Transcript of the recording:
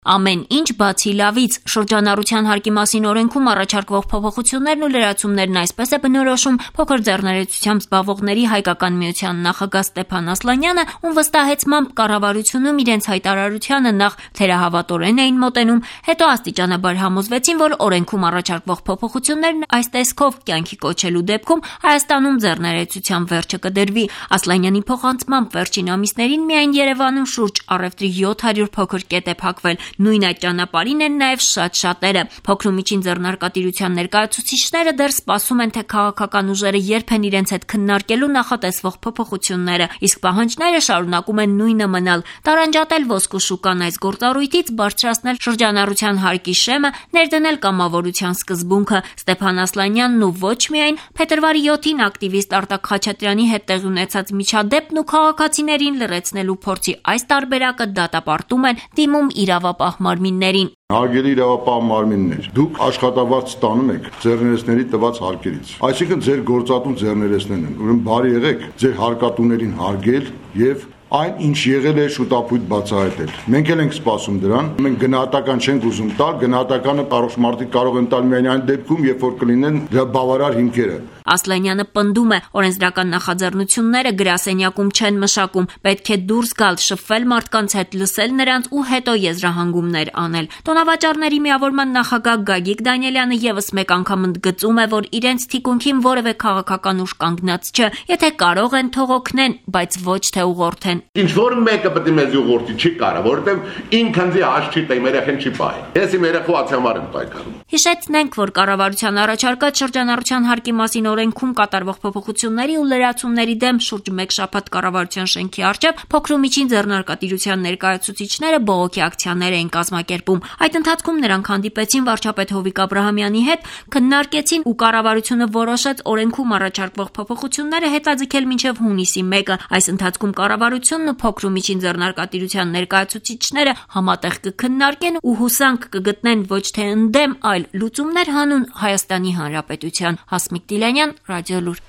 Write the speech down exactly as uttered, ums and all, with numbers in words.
Ամեն ինչ բացի լավից շրջանառության հարկի մասին օրենքում առաջարկվող փոփոխություններն ու լրացումներն այսպես է բնորոշում փոքր ձեռներեցությամբ զբաղվողների հայկական միության նախագահ Ստեփան Ասլանյանը, ում վստահեցմամբ կառավարությունում իրենց հայտարարությանը նախ թերահավատորեն էին մոտենում, հետո աստիճանաբար համոզվեցին, որ օրենքում առաջարկվող փոփոխություններն այս տեսքով կյանքի կոչելու դեպքում Հայաստանում ձեռներեցության վերջը կդրվի։ Ասլանյանի փոխանցմամբ վերջին ամիսներին միայն Երևանում շուրջ առևտրի յոթ հարյուր փոքր կետ է փակվել։ Նույն այդ ճանապարհին են նաև շատ շատերը։ Փոքր ու միջին ձեռնարկատիրության ներկայացուցիչները դեռ սպասում են, թե քաղաքական ուժերը երբ են իրենց հետ քննարկելու նախատեսվող փոփոխությունները, իսկ պահանջները շարունակում են նույնը մնալ՝ տարանջատել ոսկու շուկան այս գործառույթից, բարձրացնել շրջանառության հարկի շեմը, ներդնել կամավորության սկզբունքը։ Ստեփան Ասլանյանն ու ոչ միայն փետրվարի յոթին ակտիվիստ Արտակ Խաչատրյանի հետ տեղի ունեցած միջադեպն ու քաղաքացիներին լրացնելու փորձի այս տարբերակը դատապարտում են, դիմում իրավապահ մարմիններին։ Հարգելի իրավապահ մարմիններ, դուք աշխատավարձ ստանում եք ձեռներեցների տված հարկերից, այսինքն ձեր գործատուն ձեռներեցներն են, ուրեմն բարի եղեք ձեր հարկատուներին հարգել եւ այն ինչ եղել է շուտապույտ բացահայտել։ Մենք էլ ենք սպասում դրան, մենք գնահատական չենք ուզում տալ, գնահատականը առողջ մարդիկ կարող են տալ միայն այն դեպքում, երբ որ կլինեն դրա բավարար հիմքերը։ Ասլանյանը պնդում է, օրենսդրական նախաձեռնությունները գրասենյակում չեն մշակում, պետք է դուրս գալ, շփվել մարդկանց հետ, լսել նրանց ու հետո եզրահանգումներ անել։ Տոնավաճառների միավորման նախագահ Գագիկ Դանիելյանը եւս մեկ անգամ ընդգծում է, որ իրենց թիկունքին որևէ քաղաքական ուժ կանգնած չէ, եթե կարող են թող օգնեն, բայց ոչ թե ուղղորդեն։ Ինչ որ մեկը պետք է մեզ ուղղորդի չի կարող, որովհետև ինքն ձի հաշ չի տա, իմ երեխեն չի պահի։ Ես իմ երեխու համար եմ պայքարում։ Հիշեցնենք, որ կառավարության առաջարկած շրջանառության հարկի մասին օրենքում կատարվող փոփոխությունների ու լրացումների դեմ շուրջ մեկ շաբաթ կառավարության շենքի առջև փոքր ու միջին ձեռնարկատիրության ներկայացուցիչները բողոքի ակցիաներ էին կազմակերպում։ Այդ ընթացքում նրանք հանդիպեցին վարչապետ Հովիկ Աբրահամյանի հետ, քննարկեցին ու կառավարությունը որոշեց օրենքում առաջարկվող փոփոխությունները հետաձգել մինչև հունիսի մեկը։ Այս ընթացքում կառավարությունն ու փոքր ու միջին ձեռնարկատիրության ներկայացուցիչները համատեղ կքննարկեն ու հուսանք կգտնեն ոչ թե ընդդեմ, այլ լուծումներ հանուն Հայաստանի Հանրապետության։ Հասմիկ Տիլյանյան, Ռադիոլուր։